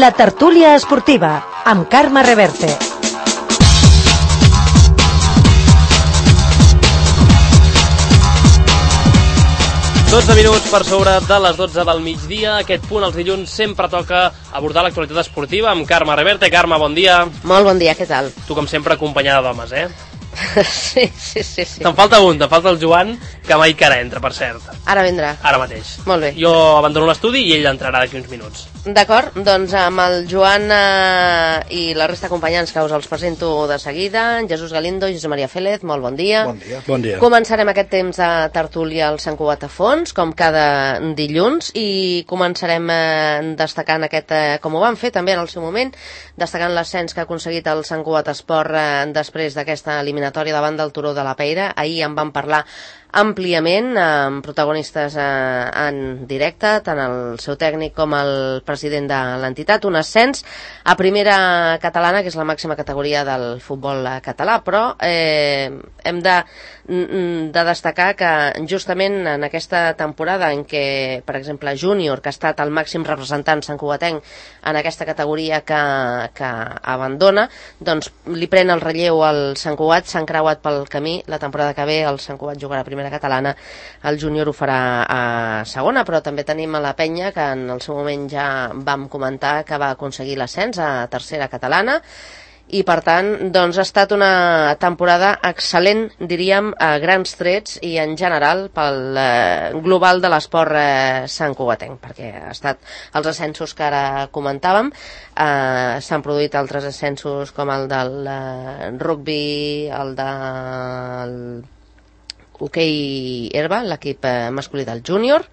La tertúlia esportiva, amb Carme Reverte. Minuts per sobre de les 12 del migdia. Aquest punt, els dilluns, sempre toca abordar l'actualitat esportiva amb Carme Reverte. Carme, bon dia. Molt bon dia, què tal? Tu, com sempre, acompanyada d'homes, eh? Sí. Te'n falta un, te'n falta el Joan, que mai que ara entra, per cert. Ara vindrà. Ara mateix. Molt bé. Jo abandono l'estudi i ell entrarà d'aquí uns minuts. D'acord, doncs amb el Joan i la resta d'acompanyants que us els presento de seguida, Jesús Galindo i Josep Maria Félez, molt bon dia. Bon dia. Bon dia. Començarem aquest temps de tertúlia al Sant Cugat a fons, com cada dilluns, i començarem destacant aquest, com ho vam fer també en el seu moment, destacant l'ascens que ha aconseguit el Sant Cugat Esport després d'aquesta eliminatòria davant del Turó de la Peira. Ahir en vam parlar àmpliament, amb protagonistes en directe, tant el seu tècnic com el president de l'entitat, un ascens a primera catalana, que és la màxima categoria del futbol català, però hem de destacar que justament en aquesta temporada en què, per exemple, Júnior, que ha estat el màxim representant santcugatenc en aquesta categoria que abandona, doncs li pren el relleu al Sant Cugat, s'han creuat pel camí, la temporada que ve el Sant Cugat jugarà a primera catalana, el Júnior ho farà a segona, però també tenim a la Penya, que en el seu moment ja vam comentar que va aconseguir l'ascens a tercera catalana, i per tant doncs ha estat una temporada excel·lent, diríem, a grans trets i en general pel global de l'esport santcugatenc, perquè ha estat els ascensos que ara comentàvem, s'han produït altres ascensos com el del rugby, el del hoquei herba, l'equip masculí del júnior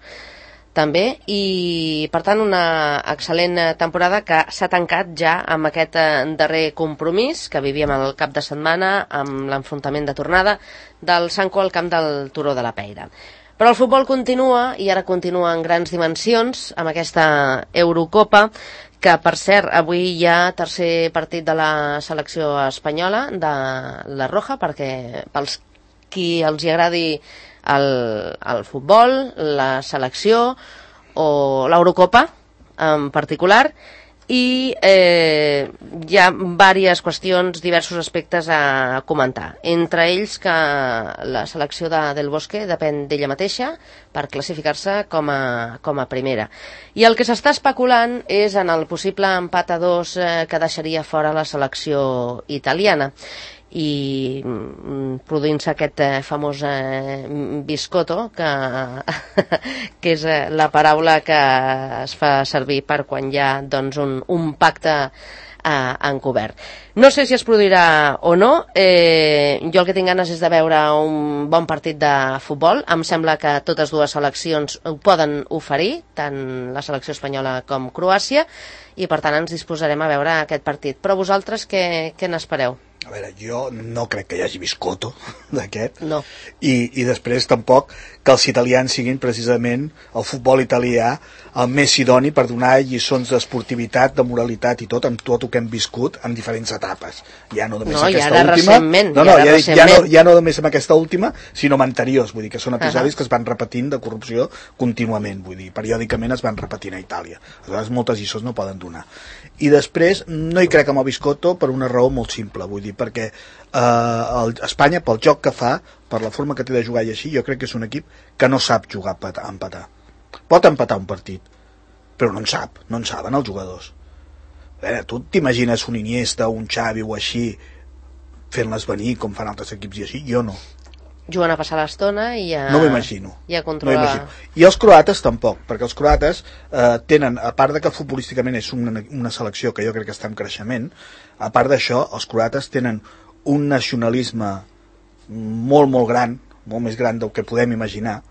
també, i per tant una excel·lent temporada que s'ha tancat ja amb aquest darrer compromís que vivíem el cap de setmana amb l'enfrontament de tornada del Sanco al camp del Turó de la Peira. Però el futbol continua, i ara continua en grans dimensions amb aquesta Eurocopa, que per cert avui hi ha tercer partit de la selecció espanyola de la Roja, perquè pels qui els hi agradi el futbol, la selecció o l'Eurocopa en particular, i hi ha diverses qüestions, diversos aspectes a comentar. Entre ells que la selecció del Bosque depèn d'ella mateixa per classificar-se com a primera. I el que s'està especulant és en el possible empat a 2 que deixaria fora la selecció italiana, i produint-se aquest famós biscotto, que és la paraula que es fa servir per quan hi ha doncs, un pacte encobert. No sé si es produirà o no, jo el que tinc ganes és de veure un bon partit de futbol. Em sembla que totes dues seleccions ho poden oferir, tant la selecció espanyola com Croàcia, i per tant ens disposarem a veure aquest partit. Però vosaltres què n'espereu? A veure, jo no crec que hi hagi biscotto d'aquest, no. I després tampoc que els italians siguin precisament el futbol italià el més idoni per donar lliçons d'esportivitat, de moralitat i tot, amb tot el que hem viscut en diferents etapes. Ja no només aquesta última, ja no només amb aquesta última, sinó amb anteriors, vull dir que són episodis que es van repetint de corrupció contínuament, vull dir, periòdicament es van repetint a Itàlia. Aleshores moltes lliçons no poden donar. I després no hi crec amb el biscotto per una raó molt simple, vull dir, perquè Espanya, pel joc que fa, per la forma que té de jugar i així, jo crec que és un equip que no sap jugar a empatar. Pot empatar un partit, però no en saben els jugadors. A veure, tu t'imagines un Iniesta, un Xavi o així fent-les venir com fan altres equips i així? Jo no. Juguen a passar l'estona i a... No m'imagino. I a controlar... I els croates tampoc, perquè els croates tenen, a part de que futbolísticament és una selecció que jo crec que està en creixement, a part d'això, els croates tenen un nacionalisme molt, molt gran, molt més gran del que podem imaginar,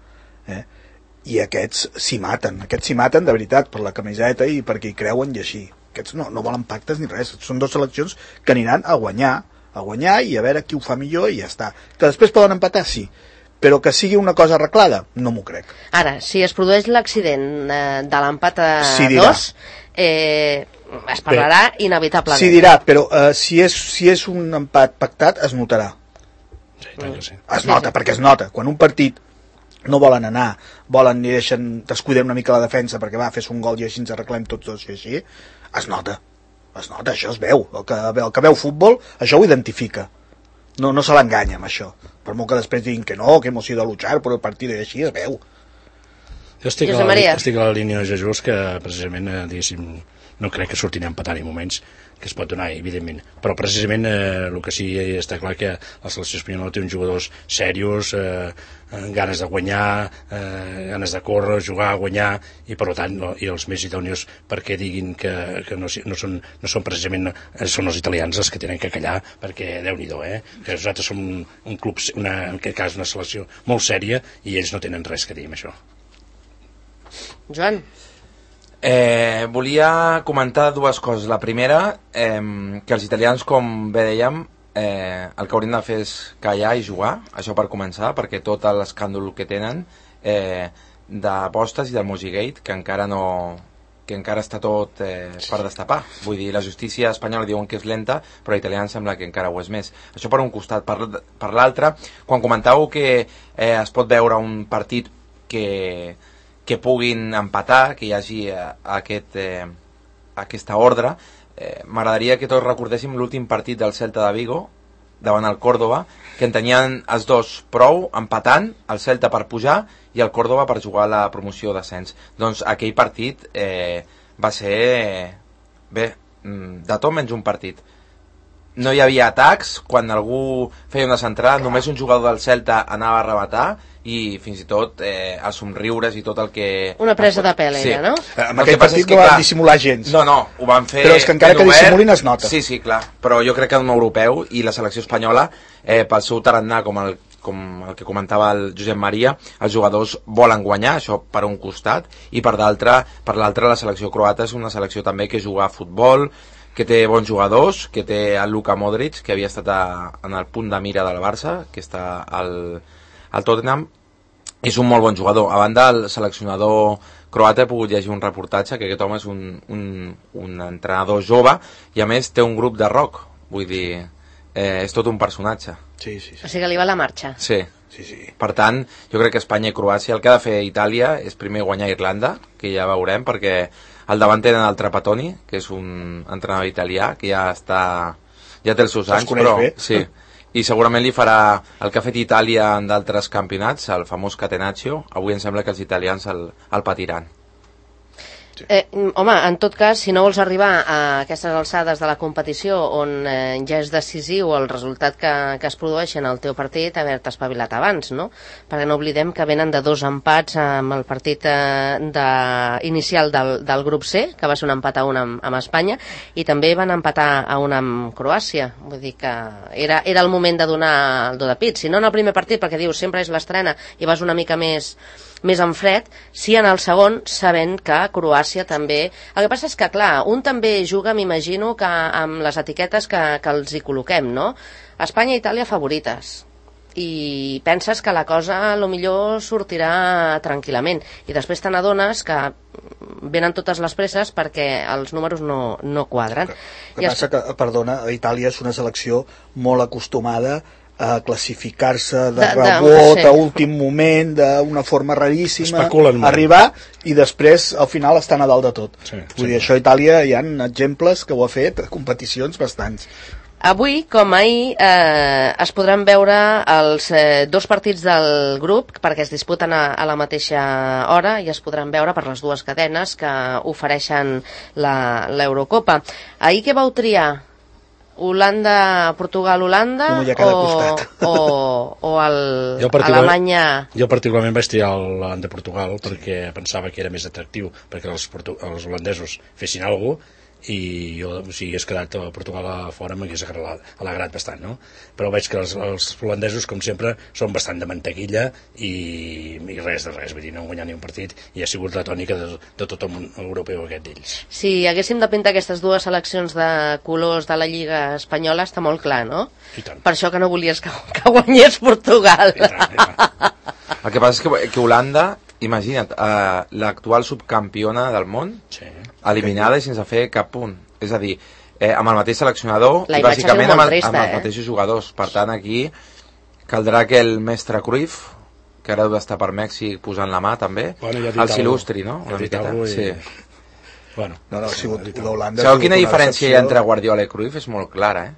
i aquests s'hi maten de veritat per la camiseta i perquè hi creuen i així. Aquests no volen pactes ni res, són dues seleccions que aniran a guanyar i a veure qui ho fa millor i ja està. Que després poden empatar, sí, però que sigui una cosa arreglada, no m'ho crec. Ara, si es produeix l'accident de l'empat a 2, es parlarà inevitablement. Sí, dirà, però si és un empat pactat, es notarà. Sí, es nota, perquè es nota. Quan un partit no volen anar, volen i descuidem una mica la defensa perquè fes un gol i així ens arreglem tots dos i així, es nota, això es veu. El que veu futbol, això ho identifica. No se l'enganya amb això. Per molt que després diguin que no, que hemos ido a luchar per el partit i així, es veu. Jo estic a la línia de Jesús, que precisament, diguéssim, no crec que surtin a empatar en moments que es pot donar, evidentment, però precisament el que sí està clar que la selecció espanyola té uns jugadors serios, ganes de guanyar, ganes de córrer, jugar, guanyar, i per tant i els més idònios perquè diguin que no són precisament són els italians els que tenen que callar, perquè Déu-n'hi-do, que nosaltres som un club, en aquest cas una selecció molt sèria, i ells no tenen res que dir amb això. Joan? Volia comentar dues coses. La primera, que els italians, com bé dèiem, el que haurien de fer és callar i jugar, això per començar, perquè tot l'escàndol que tenen d'apostes i del Mojigate, que encara està tot per destapar. Vull dir, la justícia espanyola diuen que és lenta, però l'italià sembla que encara ho és més. Això per un costat. Per l'altre, quan comentàveu que es pot veure un partit que puguin empatar, que hi hagi aquesta ordre, m'agradaria que tots recordéssim l'últim partit del Celta de Vigo davant el Córdoba, que en tenien els dos prou empatant, el Celta per pujar i el Córdoba per jugar a la promoció d'ascens. Doncs aquell partit va ser de tot menys un partit. No hi havia atacs, quan algú feia una centrada només un jugador del Celta anava a rematar, i fins i tot els somriures i tot el que... Una presa de pèl, sí. No? En aquell partit no van dissimular gens. No, ho van fer... Però és que encara que dissimulin es nota. Sí, clar, però jo crec que un europeu i la selecció espanyola, pel seu tarannà, com el que comentava el Josep Maria, els jugadors volen guanyar, això per un costat, i per l'altre la selecció croata és una selecció també que juga a futbol, que té bons jugadors, que té el Luka Modric, que havia estat en el punt de mira del Barça, que està al Tottenham, és un molt bon jugador. A banda, el seleccionador croata he pogut llegir un reportatge que aquest home és un entrenador jove i a més té un grup de rock, vull dir, és tot un personatge. Sí. O sigui que li va la marxa. Sí. Per tant, jo crec que Espanya i Croàcia, el que ha de fer Itàlia és primer guanyar Irlanda, que ja veurem, perquè al davant tenen el Trapattoni, que és un entrenador italià que ja té els seus anys, però sí, i segurament li farà el que ha fet Itàlia en d'altres campionats, el famós Catenaccio. Avui em sembla que els italians el patiran. Home, en tot cas, si no vols arribar a aquestes alçades de la competició on ja és decisiu el resultat que es produeix en el teu partit, haver-te espavilat abans, no? Perquè no oblidem que venen de 2 empats amb el partit inicial del grup C, que va ser un empat a 1 amb Espanya, i també van empatar a 1 amb Croàcia. Vull dir que era el moment de donar el do de pit. Si no en el primer partit, perquè dius sempre és l'estrena i vas una mica més en fred, sí en el segon, sabent que Croàcia també... El que passa és que, clar, un també juga, m'imagino, que amb les etiquetes que els hi col·loquem, no? Espanya i Itàlia favorites. I penses que la cosa, a lo millor, sortirà tranquil·lament. I després te n'adones que venen totes les presses perquè els números no quadren. El que passa que, perdona, Itàlia és una selecció molt acostumada a classificar-se de rebot a últim moment, d'una forma raríssima, arribar i després al final estan a dalt de tot. Vull dir, això a Itàlia hi ha exemples que ho ha fet a competicions bastants. Avui, com ahir, es podran veure els 2 partits del grup, perquè es disputen a la mateixa hora i es podran veure per les 2 cadenes que ofereixen l'Eurocopa. Ahir què vau triar? Holanda, Portugal-Holanda o Alemanya... Jo particularment vaig triar l'Holanda-Portugal perquè pensava que era més atractiu perquè els holandesos fessin alguna cosa, i jo, si hagués quedat a Portugal a fora m'hagués alegrat bastant, no? Però veig que els holandesos, com sempre, són bastant de mantequilla i res de res, vull dir, no han guanyat ni un partit i ha sigut la tònica de tot el món europeu aquest d'ells. Si haguéssim de pintar aquestes 2 seleccions de colors de la Lliga Espanyola està molt clar, no? Per això que no volies que guanyés Portugal. I tant. El que passa és que Holanda, imagina't, l'actual subcampiona del món, eliminada i sense fer cap punt. És a dir, amb el mateix seleccionador i bàsicament amb els mateixos jugadors. Per tant, aquí caldrà que el mestre Cruyff, que ara deu estar per Mèxic posant la mà també. Bueno, el Silustri, no? Una miqueta. Sí. Bueno, no, ha sigut l'Holanda. Sabeu quina diferència hi ha entre Guardiola i Cruyff? És molt clara,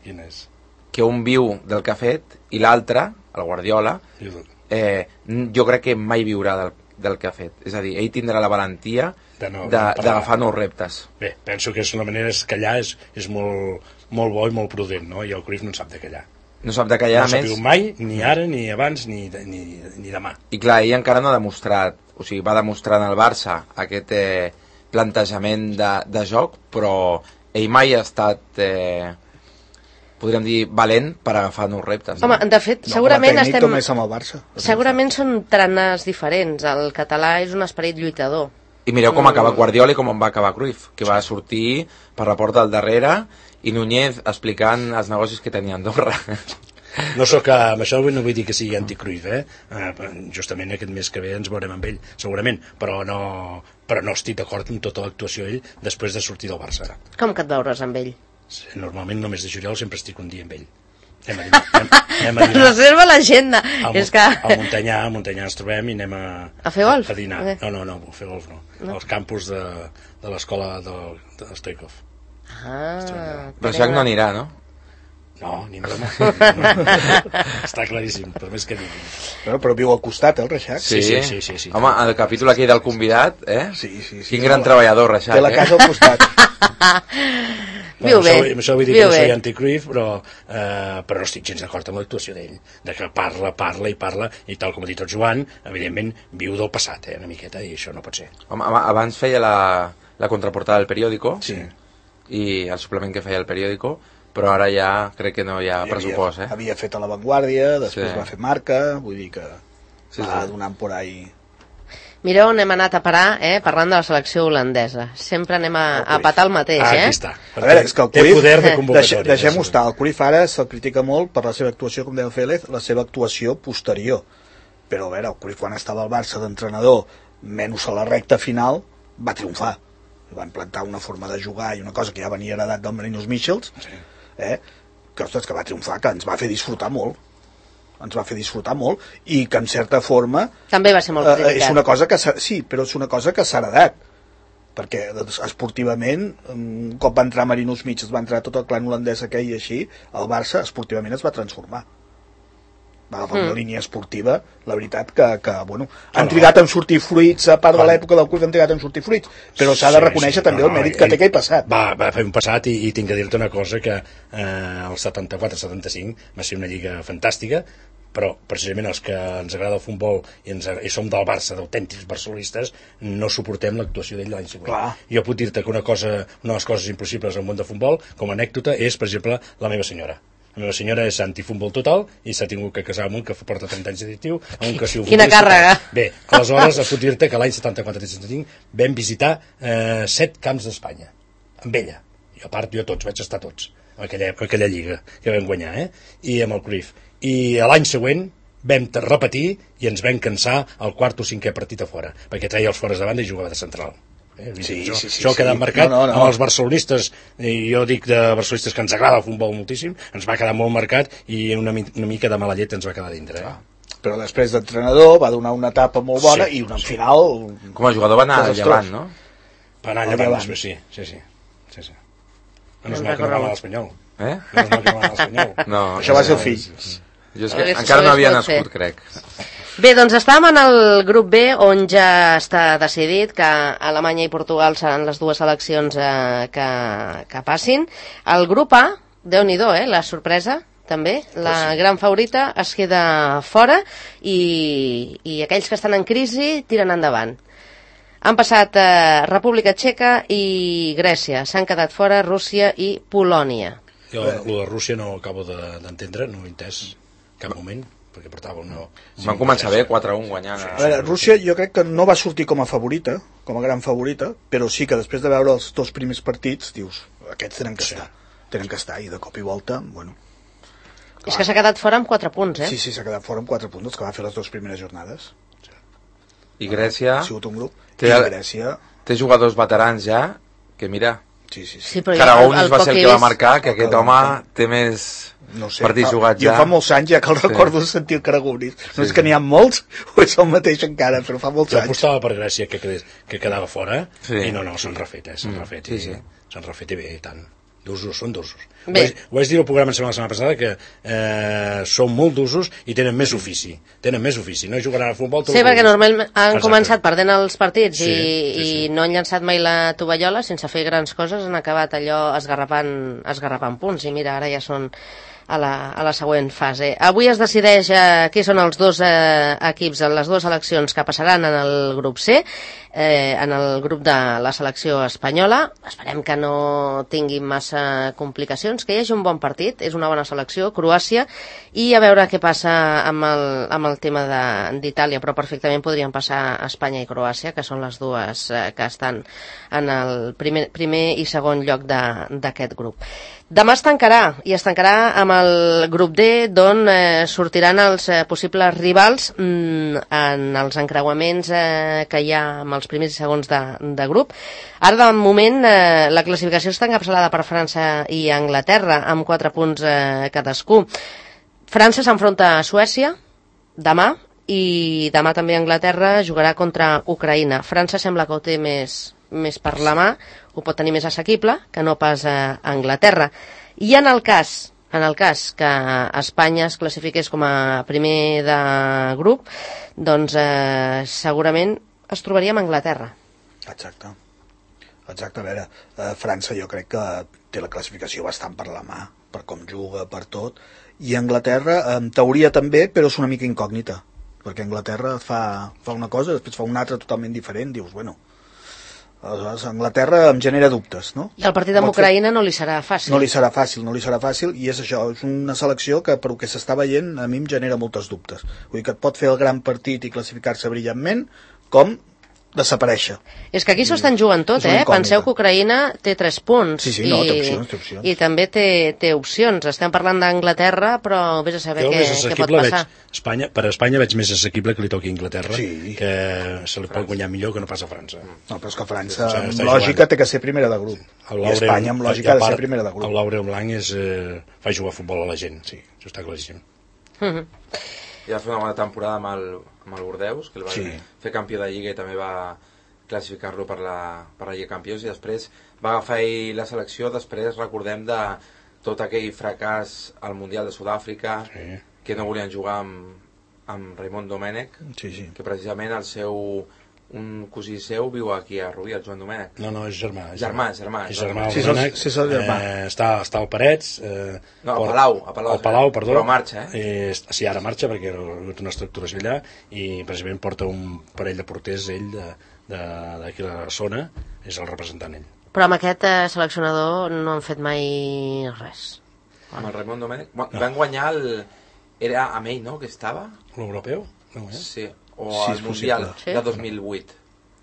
Quina és? Que un viu del que ha fet i l'altre, el Guardiola, jo crec que mai viurà del que ha fet. És a dir, ell tindrà la valentia d'agafar nous reptes. Bé, penso que la manera és callar és molt bo i molt prudent, no? I el Cruyff no en sap de callar. No sap de callar, no sap mai, ni ara, ni abans, ni demà. I clar, ell encara no ha demostrat, o sigui, va demostrar en el Barça aquest plantejament de joc, però ell mai ha estat, podríem dir, valent per agafar nous reptes. Home, de fet, segurament estem... Amb el Barça. Segurament són tranes diferents. El català és un esperit lluitador. I mireu com acaba Guardiola i com en va acabar Cruyff, que va sortir per la porta del darrere i Núñez explicant els negocis que tenia Andorra. No sóc, amb això no vull dir que sigui anti-Cruyff, justament aquest mes que ve ens veurem amb ell, segurament, però no estic d'acord amb tota l'actuació ell després de sortir del Barça. Com que et veuràs amb ell? Normalment només de juliol sempre estic un dia amb ell. Anem a dinar. Reserva l'agenda. A Montanyà ens trobem i anem a fer golf? A dinar. No, a fer golf no. Als campus de l'escola de Stoikov. Però Jacques no anirà, no? No, ni broma. Està claríssim, per més que digui. Però viu al costat, el Reixac? Sí. Home, el capítol aquí del convidat, Sí. Quin gran treballador, Reixac. Té la casa al costat. Viu bé. Això vull dir que no soy anti-Cruyff, però no estic gens d'acord amb l'actuació d'ell. De que parla, i tal com ha dit el Joan, evidentment viu del passat, una miqueta, i això no pot ser. Home, abans feia la contraportada del periòdico, sí, i el suplement que feia el periòdico, però ara ja crec que no hi ha pressupost. Havia fet a La Vanguardia, després va fer Marca, vull dir que va donant por ahí. Mireu on hem anat a parar, parlant de la selecció holandesa. Sempre anem a patar el mateix, Aquí està. A veure, és que el Cruyff, té poder de convocatòria. Deixem-ho estar. El Cruyff ara se'l critica molt per la seva actuació, com deia Félez, la seva actuació posterior. Però a veure, el Cruyff quan estava al Barça d'entrenador, menys a la recta final, va triomfar. Va implantar una forma de jugar i una cosa que ja venia heredat del Marinos Michels, que, ostres, que va triomfar, que ens va fer disfrutar molt. I que en certa forma també va ser molt criticat. És una cosa que però és una cosa que s'ha heredat, perquè esportivament un cop va entrar Marinos Michels, va entrar tot el clan holandès aquell i així, el Barça esportivament es va transformar, va agafar una línia esportiva, la veritat que bueno, han trigat en sortir fruits, a part de l'època del Cruyff han trigat en sortir fruits, però s'ha de reconèixer també el mèrit que té aquell passat. Va fer un passat i tinc que dir-te una cosa, que el 74-75 va ser una lliga fantàstica, però precisament els que ens agrada el futbol i som del Barça, d'autèntics barcelonistes, no suportem l'actuació d'ell l'any següent. Clar. Jo puc dir-te que una de les coses impossibles al món de futbol, com a anècdota, és, per exemple, la meva senyora. La meva senyora és antifutbol total i s'ha tingut que casar amb un que porta 30 anys d'additiu, amb un que si ho Quina càrrega! Bé, aleshores puc dir-te que l'any 74-75 vam visitar 7 camps d'Espanya, amb ella. I a part jo vaig estar tots, en aquella lliga que vam guanyar, i amb el Cruyff. I l'any següent vam repetir i ens vam cansar el quart o cinquè partit a fora, perquè treia els fores de banda i jugava de central. Això ha quedat marcat amb els barcelonistes, i jo dic de barcelonistes que ens agrada el futbol moltíssim, ens va quedar molt marcat i una mica de mala llet ens va quedar dintre. Però després d'entrenador va donar una etapa molt bona i una final... Com a jugador va anar a Llevant, no? Va anar a Llevant, sí. No es mal que no va anar a l'Espanyol. No es mal que no va anar a l'Espanyol. No, això va ser el fill. Jo és que encara no havia nascut, crec. Bé, doncs estàvem en el grup B, on ja està decidit que Alemanya i Portugal seran les dues seleccions que passin. El grup A, Déu-n'hi-do, la sorpresa, també, la gran favorita es queda fora i aquells que estan en crisi tiren endavant. Han passat República Txeca i Grècia, s'han quedat fora Rússia i Polònia. Jo el de Rússia no acabo d'entendre, no ho he entès cap moment, perquè portava una... Van començar bé, 4-1 guanyant. A veure, Rússia jo crec que no va sortir com a favorita, com a gran favorita, però sí que després de veure els dos primers partits dius, aquests tenen que estar, i de cop i volta, bueno... És que s'ha quedat fora amb 4 punts, Sí, s'ha quedat fora amb 4 punts, els que va fer les dues primeres jornades. I Grècia... Ha sigut un grup. I Grècia... Té jugadors veterans ja, que mira... Karagounis va ser el que va marcar, que aquest home té més partits jugats ja. Jo fa molts anys ja que el recordo de sentir el Karagounis. No és que n'hi ha molts, o és el mateix encara, però fa molts anys. Jo apostava per Grècia que quedava fora, i no, s'han refet, s'han refet, s'han refet i bé, i tant. D'usos, són d'usos. Ho vaig dir al programa la setmana passada que són molt d'usos i tenen més ofici. No jugaran a futbol. Sí, perquè normalment han començat perdent els partits i no han llançat mai la tovallola sense fer grans coses, han acabat allò esgarrapant punts i mira, ara ja són a la següent fase. Avui es decideix qui són els dos equips en les dues seleccions que passaran en el grup C, en el grup de la selecció espanyola. Esperem que no tinguin massa complicacions, que hi hagi un bon partit, és una bona selecció, Croàcia, i a veure què passa amb el tema d'Itàlia, però perfectament podrien passar Espanya i Croàcia, que són les dues que estan en el primer i segon lloc d'aquest grup. Demà es tancarà amb el grup D, d'on sortiran els possibles rivals en els encreuaments que hi ha amb els primers i segons de grup. Ara, de moment, la classificació està encapçalada per França i Anglaterra, amb 4 punts cadascú. França s'enfronta a Suècia demà, i demà també Anglaterra jugarà contra Ucraïna. França sembla que ho té més per la mà, ho pot tenir més assequible que no pas a Anglaterra. I en el cas que Espanya es classifiqués com a primer de grup, doncs segurament es trobaria amb Anglaterra. Exacte, a veure, França jo crec que té la classificació bastant per la mà, per com juga, per tot, i Anglaterra en teoria també, però és una mica incògnita, perquè Anglaterra fa una cosa, després fa una altra totalment diferent, dius, bueno, aleshores Anglaterra em genera dubtes, no? I el partit amb Ucraïna no li serà fàcil. No li serà fàcil, i és això, és una selecció que per el que s'està veient a mi em genera moltes dubtes. Vull dir que et pot fer el gran partit i classificar-se brillantment, com desaparèixer. És que aquí s'ho estan jugant tot, Penseu que Ucraïna té 3 punts. Sí, no, té opcions. I també té opcions. Estem parlant d'Anglaterra, però vés a saber què pot passar. Per Espanya veig més assequible que li toqui a Anglaterra, que se li pot guanyar millor que no pas a França. No, però és que França, amb lògica, té que ser primera de grup. I Espanya, amb lògica, ha de ser primera de grup. El Laurent Blanc fa jugar a futbol a la gent, sí, això està claríssim. I va fer una bona temporada amb el Bordeus, que el va fer campió de Lliga i també va classificar-lo per la Lliga Campions, i després va agafar ell la selecció, després recordem de tot aquell fracàs al Mundial de Sud-àfrica, que no volien jugar amb Raimon Domènech, que precisament un cosí seu viu aquí a Rubí, el Joan Domènech. No, és germà. Germà. Sí, és el germà. Està al Parets. No, a Palau, perdó. Però marxa, Sí, ara marxa perquè ha una estructuració allà, i precisament porta un parell de porters ell d'aquí la zona, és el representant ell. Però amb aquest seleccionador no han fet mai res. Amb el Raimon Domènech van guanyar era amb ell, no?, que estava? L'europeu? Sí, o el Mundial de 2008.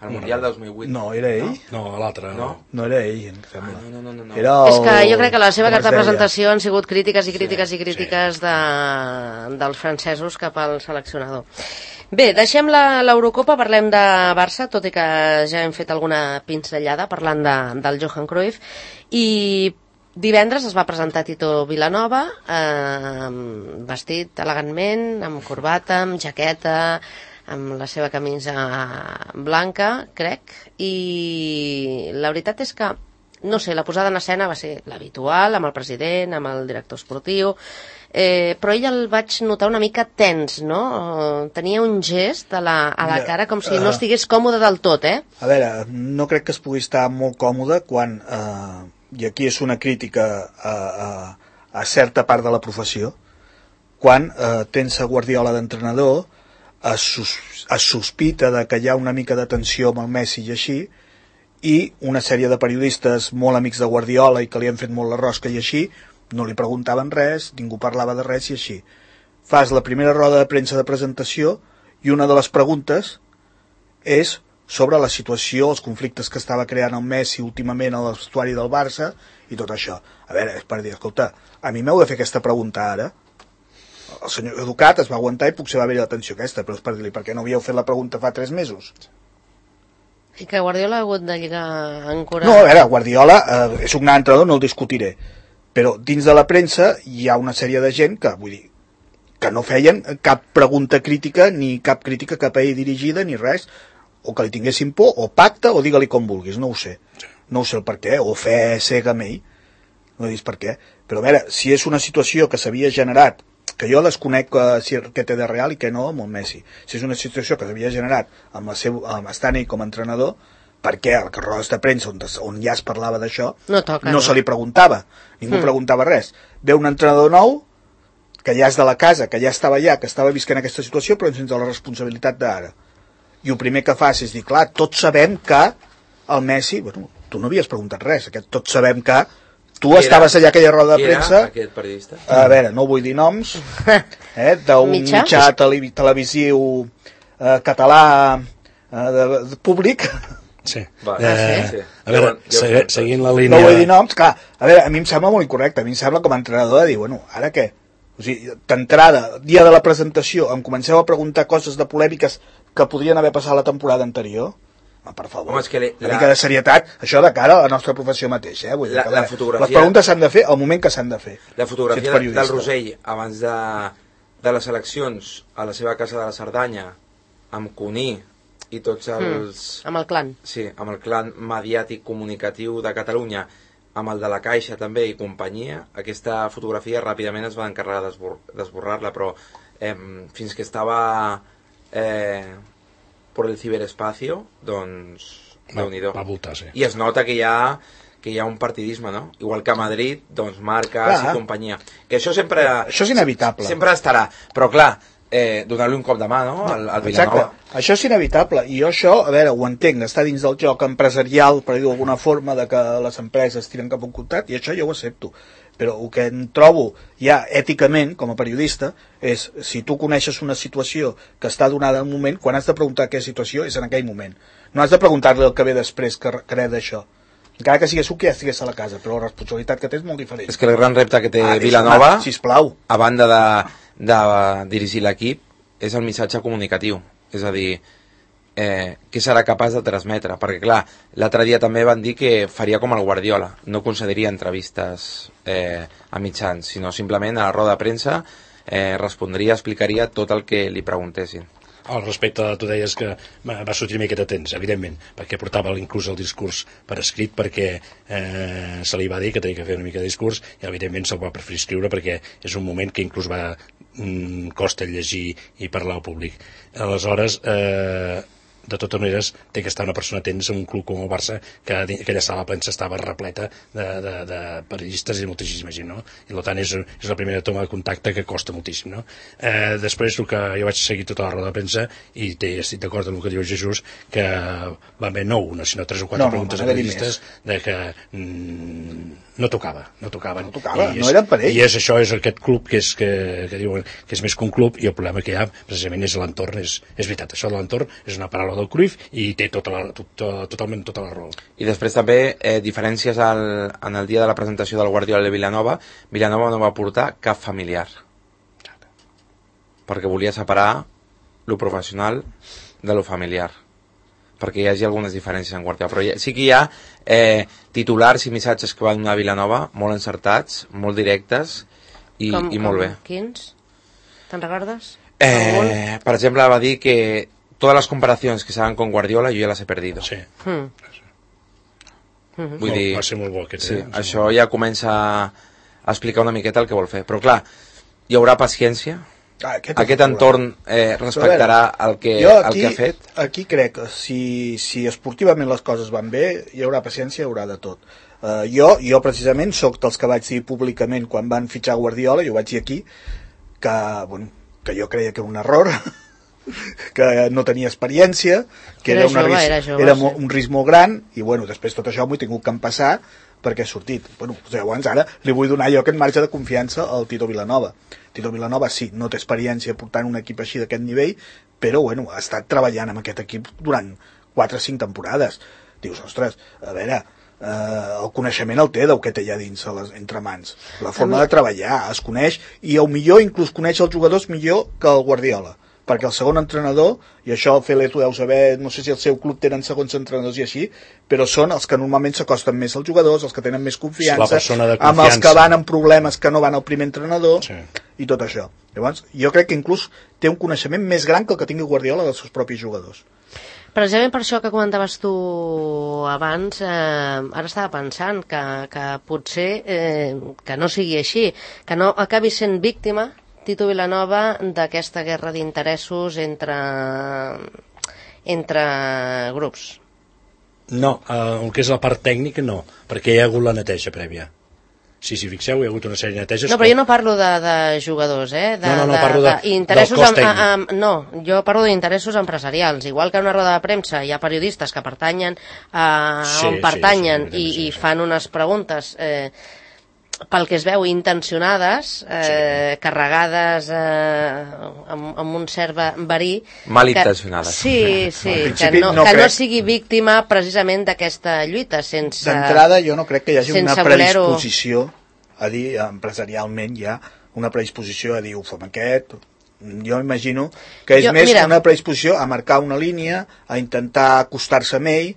El Mundial de 2008. No, era ell? No, l'altre. No era ell, em sembla. No. És que jo crec que la seva carta de presentació han sigut crítiques dels francesos cap al seleccionador. Bé, deixem l'Eurocopa, parlem de Barça, tot i que ja hem fet alguna pinzellada parlant del Johan Cruyff, i divendres es va presentar Tito Vilanova, vestit elegantment, amb corbata, amb jaqueta, amb la seva camisa blanca, crec, i la veritat és que, no sé, la posada en escena va ser l'habitual, amb el president, amb el director esportiu, però ell el vaig notar una mica tens, no? Tenia un gest a la cara com si no estigués còmode del tot, A veure, no crec que es pugui estar molt còmode quan, i aquí és una crítica a certa part de la professió, quan tens a Guardiola d'entrenador, es sospita de que hi ha una mica de tensió amb el Messi i així, i una sèrie de periodistes molt amics de Guardiola i que li han fet molt la rosca i així, no li preguntaven res, ningú parlava de res i així. Fas la primera roda de premsa de presentació i una de les preguntes és sobre la situació, els conflictes que estava creant el Messi últimament a l'estuari del Barça i tot això. A veure, és per dir, escolta, a mi m'heu de fer aquesta pregunta ara? El senyor Educat es va aguantar i potser va haver-hi la tensió aquesta, però és per dir-li, per què no havíeu fet la pregunta fa 3 mesos? I que Guardiola ha hagut de lligar encara... No, a veure, Guardiola és un gran entrenador, no el discutiré, però dins de la premsa hi ha una sèrie de gent que, vull dir, que no feien cap pregunta crítica ni cap crítica cap a ell dirigida ni res, o que li tinguessin por, o pacte, o digue-li com vulguis, no ho sé. No ho sé el per què, o fe cega amb ell, no he dit per què. Però a veure, si és una situació que s'havia generat, que jo desconec què té de real i què no amb el Messi, si és una situació que s'havia generat amb estant ell com a entrenador, per què a les rodes de premsa on ja es parlava d'això no se li preguntava, ningú preguntava res. Ve un entrenador nou que ja és de la casa, que ja estava allà, que estava visquent aquesta situació, però sense la responsabilitat d'ara. I el primer que fas és dir, clar, tots sabem que el Messi, bueno, tu no havies preguntat res, tots sabem que tu estaves allà a aquella roda de premsa. Qui era aquest periodista? A veure, no vull dir noms, d'un mitjà televisiu català públic. Sí. Sí. A veure, seguint la línia... No vull dir noms, clar, a veure, a mi em sembla molt incorrecte, a mi em sembla com a entrenador de dir, bueno, ara què? O sigui, d'entrada, dia de la presentació, em comenceu a preguntar coses de polèmiques que podrien haver passat la temporada anterior? Per favor, home, és que una mica de serietat, això de cara a la nostra professió mateixa, Vull dir que, la fotografia... Les preguntes s'han de fer al moment que s'han de fer. La fotografia del Rosell abans de les eleccions a la seva casa de la Cerdanya, amb Cuní i tots els... Amb el clan. Sí, amb el clan mediàtic comunicatiu de Catalunya, amb el de la Caixa també i companyia, aquesta fotografia ràpidament es va encarregar d'esborrar-la, però fins que estava por el ciberespacio, doncs déu-n'hi-do. Va voltar, sí. I es nota que hi ha un partidisme, no? Igual que a Madrid, doncs Marcas i companyia. Que això sempre... Això és inevitable. Sempre estarà, però clar, donar-li un cop de mà, no? Al Vilanova. Exacte. Això és inevitable, i jo això, a veure, ho entenc, està dins del joc empresarial, per dir-ho d'alguna forma, de que les empreses tiren cap a un contracte, i això jo ho accepto. Però el que em trobo ja èticament, com a periodista, és si tu coneixes una situació que està donada en un moment, quan has de preguntar què situació és en aquell moment. No has de preguntar-li el que ve després que res d'això. Encara que sigués que ja estigués a la casa, però la responsabilitat que té és molt diferent. És que el gran repte que té Vilanova, sisplau, a banda de dirigir l'equip, és el missatge comunicatiu. És a dir, què serà capaç de transmetre? Perquè, clar, l'altre dia també van dir que faria com el Guardiola, no concediria entrevistes a mitjans, sinó simplement a la roda de premsa respondria, explicaria tot el que li preguntessin. Al respecte, tu deies que va sortir una miqueta temps, evidentment, perquè portava inclús el discurs per escrit, perquè se li va dir que tenia que fer una mica de discurs, i evidentment se'l va preferir escriure perquè és un moment que inclús costa llegir i parlar al públic. Aleshores, de totes maneres, té que estar una persona atenta en un club com el Barça, que aquella sala de premsa estava repleta de periodistes i moltíssima gent, no? I per tant és la primera toma de contacte que costa moltíssim, no? Després, el que jo vaig seguir tota la roda de premsa, i estic d'acord amb el que diu Jesús, que va haver no una, sinó 3 o 4 preguntes a periodistes de que no tocaven. No eren per ell. I això és aquest club que diuen que és més que un club, i el problema que hi ha precisament és l'entorn. És veritat, això de l'entorn és una paraula del Cruyff i té totalment tota la raó. I després també diferències en el dia de la presentació del Guardiola de Vilanova no va portar cap familiar, perquè volia separar lo professional de lo familiar, perquè hi hagi algunes diferències en Guardiola, però sí que hi ha titulars i missatges que va donar Vilanova molt encertats, molt directes i molt bé. Quins? Te'n recordes? Per exemple, va dir que todas las comparaciones que se hagan con Guardiola yo ya las he perdido. Sí. Vull dir, va ser molt bo aquest, sí, això ja comença a explicar una miqueta el que vol fer, però clar, hi haurà paciència. Aquest entorn respectarà el que ha fet. Aquí crec que si esportivament les coses van bé, hi haurà paciència, hi haurà de tot. Jo precisament soc dels que vaig dir públicament quan van fitxar Guardiola, jo vaig dir aquí que jo creia que era un error, que no tenia experiència, que era un risc molt gran, i després tot això m'ho he tingut que empassar perquè ha sortit. Llavors ara li vull donar jo aquest marge de confiança al Tito Vilanova. Tito Vilanova sí, no té experiència portant un equip així d'aquest nivell, però ha estat treballant amb aquest equip durant 4 o 5 temporades. Dius, ostres, a veure, el coneixement el té del que té allà dins entre mans, la forma de treballar es coneix, i millor inclús coneix els jugadors millor que el Guardiola, perquè el segon entrenador, i això el Fele tu deus saber, no sé si el seu club tenen segons entrenadors i així, però són els que normalment s'acosten més als jugadors, els que tenen més confiança, amb els que van amb problemes que no van al primer entrenador, i tot això. Llavors, jo crec que inclús té un coneixement més gran que el que tingui Guardiola dels seus propis jugadors. Precisament per això que comentaves tu abans, ara estava pensant que potser que no sigui així, que no acabi sent víctima Tito Vilanova d'aquesta guerra d'interessos entre grups. No, el que és la part tècnica no, perquè hi ha hagut la neteja prèvia. Sí, si fixeu, hi ha hagut una sèrie de neteges... No, però jo no parlo de jugadors, No, parlo del cos tècnic. No, jo parlo d'interessos empresarials. Igual que en una roda de premsa hi ha periodistes que pertanyen on pertanyen i fan unes preguntes pel que es veu intencionades, carregades amb un cert verí... Malintencionades. Sí, que no sigui víctima precisament d'aquesta lluita, sense... D'entrada, jo no crec que hi hagi una predisposició a dir, empresarialment hi ha una predisposició a dir, ho fem aquest... Jo imagino que és més una predisposició a marcar una línia, a intentar acostar-se amb ell...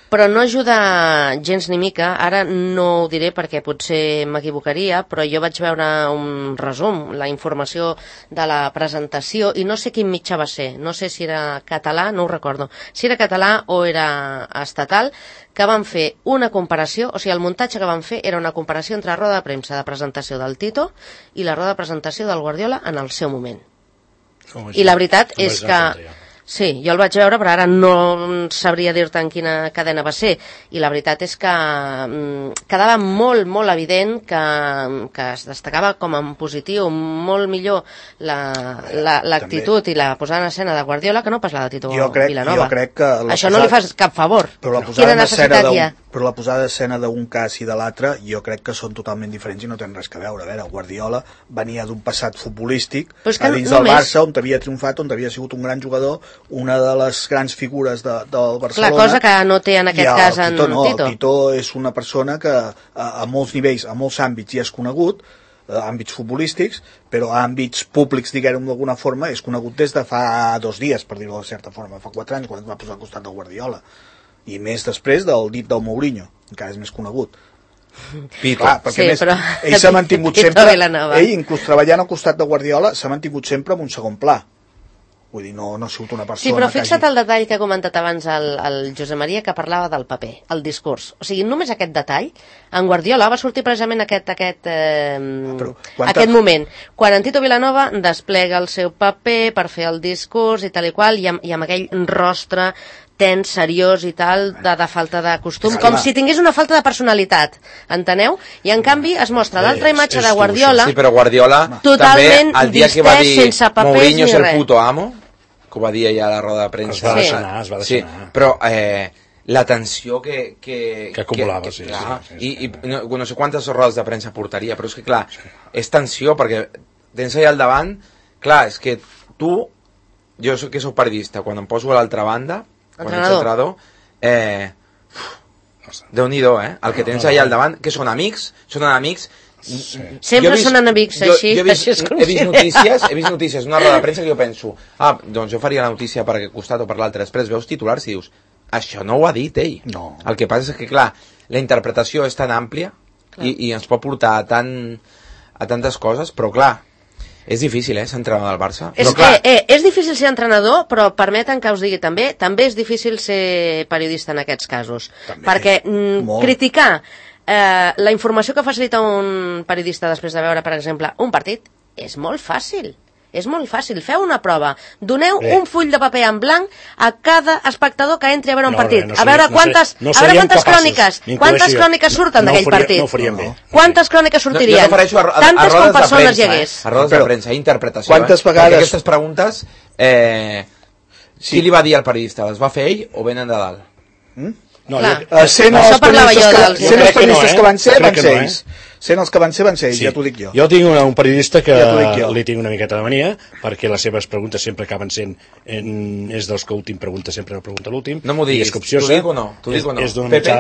Però no ajuda gens ni mica, ara no ho diré perquè potser m'equivocaria, però jo vaig veure un resum, la informació de la presentació, i no sé quin mitjà va ser, no sé si era català, no ho recordo, si era català o era estatal, que van fer una comparació, o sigui, el muntatge que van fer era una comparació entre la roda de premsa de presentació del Tito i la roda de presentació del Guardiola en el seu moment. I la veritat és que... Sí, jo el vaig veure, però ara no sabria dir-te en quina cadena va ser. I la veritat és que quedava molt, molt evident que es destacava com en positiu, molt millor l'actitud i la posada en escena de Guardiola que no pas la de Tito Vilanova. Jo crec que... Això no li fas cap favor. Quina necessitat hi ha? Però la posada d'escena d'un cas i de l'altre jo crec que són totalment diferents i no tenen res a veure. A veure, Guardiola venia d'un passat futbolístic a dins del Barça, on havia triomfat, on havia sigut un gran jugador, una de les grans figures del Barcelona. La cosa que no té en aquest cas en Tito. El Tito és una persona que a molts nivells, a molts àmbits ja és conegut, àmbits futbolístics, però a àmbits públics, diguem-ho d'alguna forma, és conegut des de fa 2 dies, per dir-ho de certa forma, fa 4 anys, quan es va posar al costat del Guardiola. I més després del dit del Mourinho, encara és més conegut. Clar, perquè més, ell s'ha mantingut sempre, ell inclús treballant al costat de Guardiola, s'ha mantingut sempre en un segon pla. Vull dir, no ha sigut una persona... Sí, però fixa't el detall que ha comentat abans el Josep Maria, que parlava del paper, el discurs. O sigui, només aquest detall, en Guardiola va sortir precisament aquest moment, quan en Tito Vilanova desplega el seu paper per fer el discurs i tal i qual, i amb aquell rostre tens, seriós i tal, de falta de costum, com si tingués una falta de personalitat, enteneu? I en canvi es mostra l'altra imatge de Guardiola, sí, però Guardiola totalment també, el dia que va dir sense papers Mourinho ni és el res. puto amo, que ho va dir allà a la roda de premsa, es va deixar. Sí, però la tensió que acumulava, i no sé quantes rodes de premsa portaria, però és que clar, és tensió perquè tens allà al davant, clar, és que tu, jo que soc periodista, quan em poso a l'altra banda, quan ets entrenador, Déu-n'hi-do, el que tens allà al davant, que són amics, sempre són enemics, així es considera. He vist notícies, una roda de premsa que jo penso, doncs jo faria la notícia per aquest costat o per l'altre, després veus titulars i dius, això no ho ha dit ell. No. El que passa és que, clar, la interpretació és tan àmplia i ens pot portar a tantes coses, però clar, és difícil, ser entrenador del Barça. És difícil ser entrenador, però permeten que us digui també és difícil ser periodista en aquests casos. També, perquè criticar la informació que facilita un periodista després de veure, per exemple, un partit, és molt fàcil. És molt fàcil. Feu una prova. Doneu un full de paper en blanc a cada espectador que entri a veure un partit. A veure quantes cròniques surten d'aquell partit. No ho faríem bé. Quantes cròniques sortirien? Tantes com persones hi hagués. A rodes de premsa, interpretació. Quantes vegades... Perquè aquestes preguntes, qui li va dir al periodista? Les va fer ell o venen de dalt? Sent els periodistes que van ser, sent els que van ser, ja t'ho dic jo. Jo tinc un periodista que li tinc una miqueta de mania, perquè les seves preguntes sempre acaben sent, és dels que últim pregunta, sempre pregunta l'últim. No m'ho diguis, t'ho dic o no? Pepe?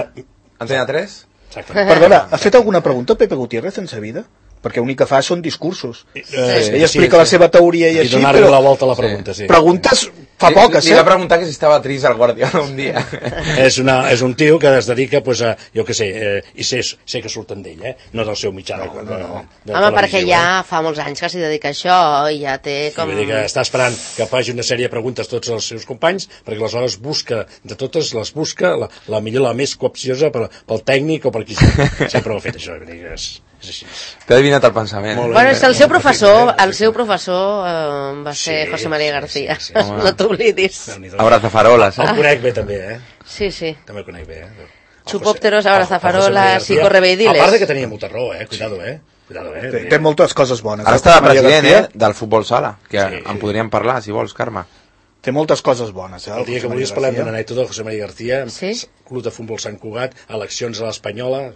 Antena 3? Exacte. Perdona, ha fet alguna pregunta Pepe Gutiérrez en sa vida? perquè l'únic que fa són discursos. Ell explica la seva teoria i així, donar-li la volta a la pregunta, sí. Preguntes fa poques, Li va preguntar que si estava trist el Guardiola un dia. És un tio que es dedica, pues, a, jo què sé, i sé que surten d'ell, no del seu mitjà de Home, perquè ja fa molts anys que s'hi dedica a això i ja té com... Vull dir que està esperant que faci una sèrie de preguntes a tots els seus companys, perquè aleshores busca, de totes les busca, la millor, la més coopciosa pel tècnic o per qui sigui. Sempre ho ha fet això, vull dir que és així. T'he adivinat el pensament. Bueno, és que el seu professor va ser José María García. No t'oblidis. Abrazafarolas. El conec bé també, Sí. També el conec bé, Chupópteros, abrazafarolas i correveidiles. A part que tenia molta raó, cuidado, Té moltes coses bones. Ara està de president, del futbol sala, que en podríem parlar, si vols, Carme. Té moltes coses bones. El dia que volies parlem d'una anècdota de José María García, Club de Futbol Sant Cugat, eleccions a l'Espanyola...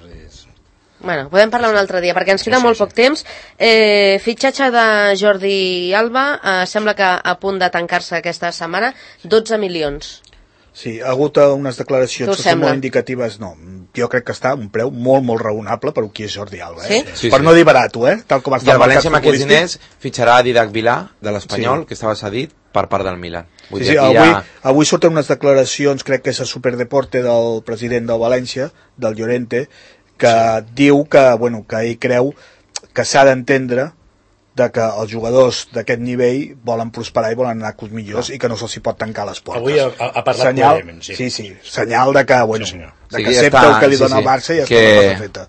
Bueno, podem parlar un altre dia, perquè ens queda molt poc temps. Fitxatge de Jordi Alba, sembla que a punt de tancar-se aquesta setmana, 12 milions. Sí, ha hagut unes declaracions que són molt indicatives. No, jo crec que està a un preu molt, molt raonable per qui és Jordi Alba. Per no dir barat, tal com està el València amb aquests diners fitxarà Didac Vilà, de l'Espanyol, que estava cedit per part del Milan. Avui surten unes declaracions, crec que és a Superdeporte, del president del València, del Llorente, que diu que ell creu que s'ha d'entendre que els jugadors d'aquest nivell volen prosperar i volen anar a clubs millors i que no se'ls pot tancar les portes. Avui ha parlat clarament, sí, senyal de que, que accepta el que li dona el Barça i ja està la cosa feta.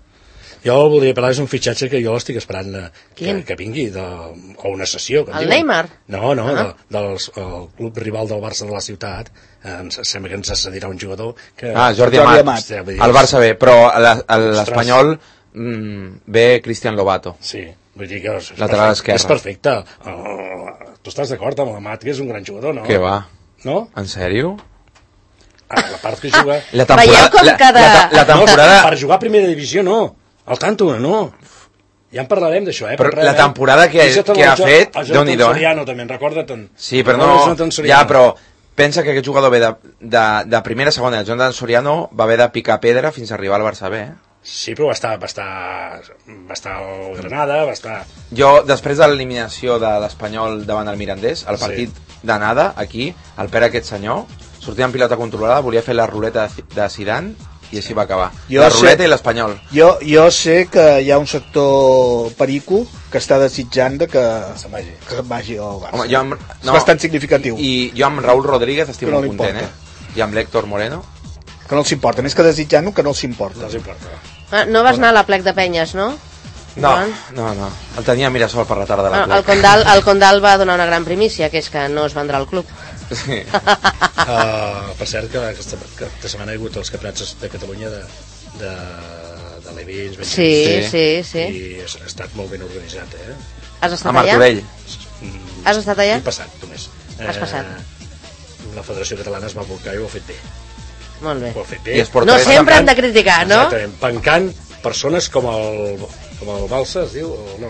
Jo voldria parlar d'un fitxatge que jo l'estic esperant que vingui, o una sessió. El Neymar? No, del club rival del Barça de la ciutat. Sembla que ens cedirà un jugador que... Jordi Amat, el Barça ve, però a l'Espanyol ve Cristian Lobato. Sí, vull dir que lateral esquerre. És perfecte. Tu estàs d'acord amb l'Amat, que és un gran jugador, no? Què va? No? En sèrio? La part que juga... La temporada... Per jugar a primera divisió, no. Al tanto, no. Ja en parlarem d'això, Però la temporada que ha fet, Déu-n'hi-do. També en recorda tant. Sí, però no... Ja, però pensa que aquest jugador ve de primera a segona. Jonathan Soriano va haver de picar pedra fins a arribar al Barça B, Sí, però va estar al Granada, va estar... Jo, després de l'eliminació de l'Espanyol davant el Mirandés, el partit d'anada, aquí, el Pere, aquest senyor, sortia en pilota controlada, volia fer la ruleta de Zidane i així va acabar. La ruleta i l'Espanyol. Jo sé que hi ha un sector perico que està desitjant que se'n vagi al Barça. És bastant significatiu. I jo amb Raúl Rodríguez estic molt content, I amb l'Héctor Moreno. Que no els importa, més que desitjant-ho, que no els importa. No vas anar a la plec de Penyes, no? No. El tenia a Mirasol per la tarda de la plec. El Condal va donar una gran primícia, que és que no es vendrà al club. Sí. Per cert, que aquesta setmana hi ha hagut els campionats de Catalunya de l'Evins. Sí. I ha estat molt ben organitzat, Has estat allà? A Martorell. Has estat allà? He passat, només. Has passat. La Federació Catalana es va volcar i ho ha fet bé. Molt bé. No sempre hem de criticar, no? Exactament, pencant persones com el Balsa, es diu? No.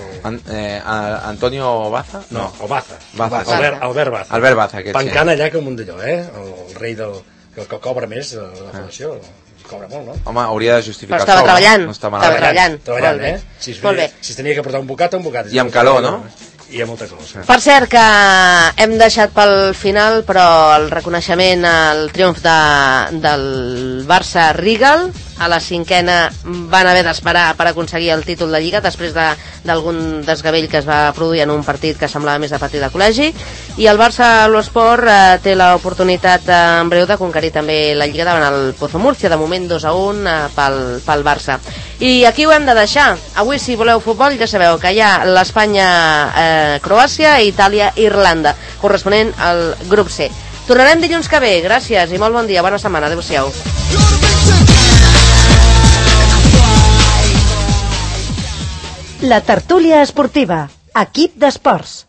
Antonio Baza? No, o Baza. Albert Baza. Albert Baza, pencant allà com un d'allò, el rei que cobra més de la federació. Cobra molt, no? Home, hauria de justificar el sou. Però estava treballant. Molt bé. Si es tenia que portar un bocat. I amb calor, no? I hi ha molta cosa. Per cert, que hem deixat pel final, però el reconeixement al triomf del Barça Rigal, a la cinquena van haver d'esperar per aconseguir el títol de Lliga després d'algun desgavell que es va produir en un partit que semblava més de partit de col·legi, i el Barça l'Esport té l'oportunitat en breu de conquerir també la Lliga davant el Pozo Murcia, de moment 2-1 pel Barça. I aquí ho hem de deixar. Avui, si voleu futbol, ja sabeu que hi ha l'Espanya, Croàcia, Itàlia, Irlanda, corresponent al grup C. Tornarem dilluns que ve. Gràcies i molt bon dia, bona setmana, adeu-siau. La tertúlia esportiva, equip d'esports.